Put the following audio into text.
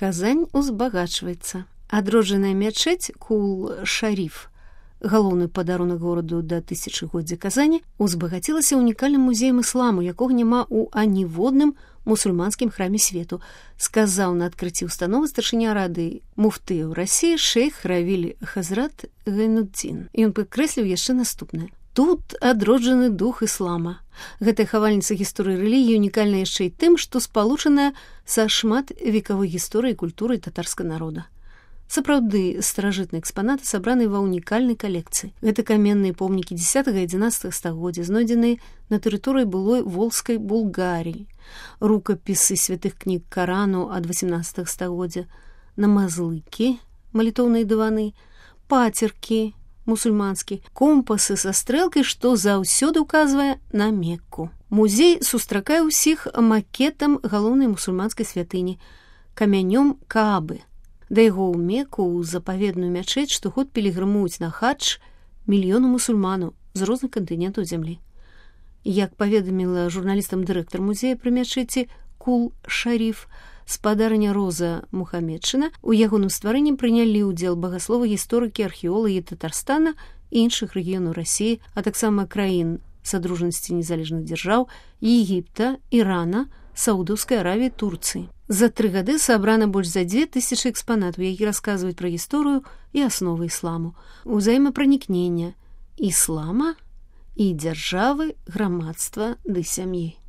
Казань узбагачваецца. Адроджаная мячэць Кул-Шариф, галоўны падарунак гораду да тысячагоддзя Казані, узбагацілася унікальным музеем ісламу, якога няма ў аніводным мусульманскім храме свету, сказаў на адкрыцці ўстановы старшыня рады муфтыяў Расіі шэйх Равіль Хазрат Гайнуддзін. Ён падкрэсліў яшчэ наступнае. Тут адроджаны дух іслама. Гэтая хавальніца гісторыі рэлігіі унікальна яшчэ і тым, што спалучаная са шмат векавой гісторыяй і культурай татарскага народа. Сапраўды, старажытныя экспанаты сабраны ва ўнікальнай калекцыі. Гэта каменныя помнікі 10-11 стагоддзя, знойдзеныя на тэрыторыі былой Волжскай Булгаріі, рукапісы святых кніг Карану ад 18 стагоддзя, намазлыкі, малітоўныя дываны, пацеркі, мусульманскі, компасы са стрэлкай, што заўсёды ўказвае на Мекку. Музей сустракае ўсіх макетам галоўнай мусульманскай святыні, камянём Каабы. Да яго ў Мекку, у запаведную мячэць, штогод пілігрымуюць на хадж мільёны мусульманаў з розных кантынентаў зямлі. Як паведаміла журналістам дырэктар музея пры мячэці Кул-Шариф, спадарня Роза Мухамедшына, у ягоным стварэнні прынялі ўдзел багасловы, гісторыкі, археолагі Татарстана і іншых рэгіёнаў Расіі, а таксама краін Садружнасці незалежных дзяржаў, Егіпта, Ірана, Саудаўскай Аравіі, Турцыі. За 3 гады сабрана больш за 2000 экспанатаў, які расказваюць пра гісторыю і асновы ісламу, узаемапранікнення іслама і дзяржавы, грамадства ды сям'і.